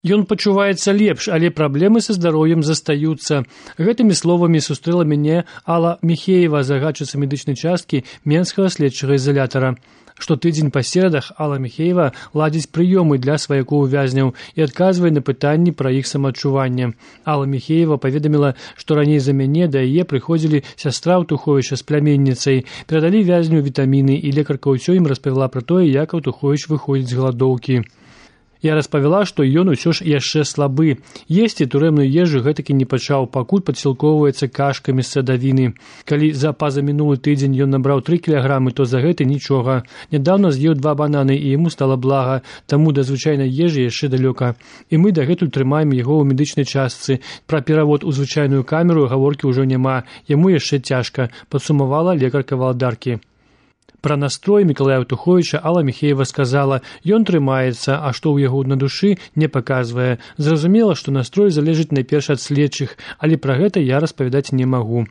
Ён пачуваецца лепш, але праблемы са здароўем застаюцца. Гэтымі словамі сустрэла мяне Алла Михеева, загадчыца медычнай часткі Менскага следчага ізалятара. Штотыдзень па серадах Алла Михеева ладзіць прыёмы для сваякоў вязняў і адказвае на пытанні пра іх самаадчуванне. Алла Михеева паведаміла, што раней за мяне да яе прыходзілі сястра Аўтуховіча з пляменніцай, перадалі вязню вітаміны, і лекарка ўсё ім распавяла пра тое, як Аўтуховіч выходзіць з галадоўкі. Я распавяла, што ён усё ж яшчэ слабы. Есці турэмную ежу гэтакі не пачаў, пакуль падсілкоўваецца кашкамі з садавіны. Калі за пазамінулы тыдзень ён набраў 3 кілаграмы, то за гэта нічога. Нядаўна з'еў 2 бананы, і яму стала блага, таму да звычайнай ежы яшчэ далёка. І мы дагэтуль трымаем яго ў медычнай частцы. Пра перавод у звычайную камеру гаворкі ўжо няма, яму яшчэ цяжка, падсумавала лекарка валадаркі. Пра настрой Мікалая Аўтуховіча Алла Михеева сказала, ён трымаецца, а што ў яго на душы, не паказвае. Зразумела, што настрой залежыць найперш ад следчых, але пра гэта я распавядаць не магу.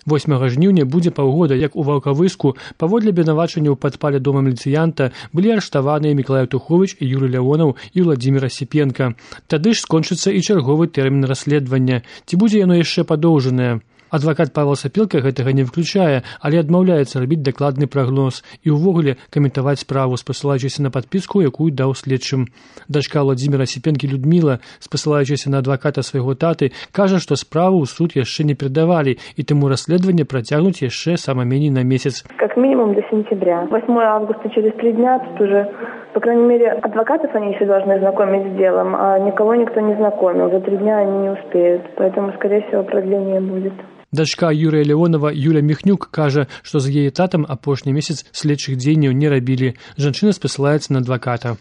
8 жніўня будзе паўгода, як у Ваўкавыску паводле абвінавачання ў падпале дома міліцыянта былі арыштаваныя Мікалай Аўтуховіч і Юрый Лявонаў і Владзімір Асіпенка. Тады ж скончыцца і чарговы тэрмін расследавання. Ці будзе яно яшчэ падоўжанае? Адвакат Павел Сапілка гэтага не выключае, але адмаўляецца рабіць дакладны прагноз і ўвогуле каментаваць справу, спасылаючыся на падпіску, якую даў следчым. Дачка Владзіміра Асіпенкі Людміла, спасылаючыся на адваката свайго таты, кажа, што справу ў суд яшчэ не перадавалі, і таму расследаванне працягнуць яшчэ сама меней на месяц. Как минимум до сентября. 8 августа через 3 дня тут уже, по крайней мере, адвокатов они еще должны знакомить с делом, а никого никто не знакомил. За 3 дня они не успеют, поэтому, скорее всего, продление будет. Дачка Юрыя Лявонова Юля Міхнюк кажа, што з яе татам апошні месяц следчых дзеянняў не рабілі. Жанчына спасылаецца на адваката.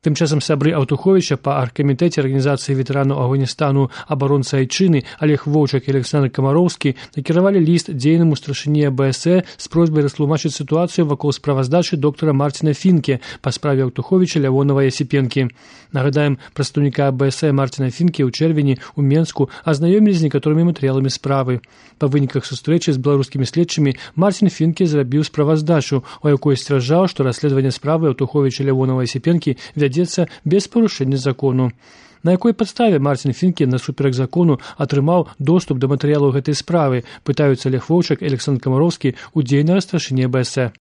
Тым часам сябры Аўтуховіча па аргкамітэце арганізацыі ветэранаў Афганістану абаронцы Айчыны Олег Воўчак і Александр Камароўскі накіравалі ліст дзейнаму старшыні АБС з просьбай растлумачыць сітуацыю вакол справаздачы доктара Марціна Фінке па справе Аўтуховіча, Лявонава і Асіпенкі. Нагадаем, прадстаўніка АБС Марціна Фінке ў чэрвені ў Менску азнаёмілі з некаторымі матэрыяламі справы. Па выніках сустрэчы з беларускімі следчымі Марцін Фінке зрабіў справаздачу, у якой сцвярджаў, што расследаванне справы Аўтуховіча, Лявонава і Асіпенкі вядзецца без парушэння закону. На якой падставе Марцін Фінке насуперак закону атрымаў доступ да матэрыялаў гэтай справы, пытаюцца Олег Воўчак і Александр Камароўскі ў дзейнага старшыні АБС.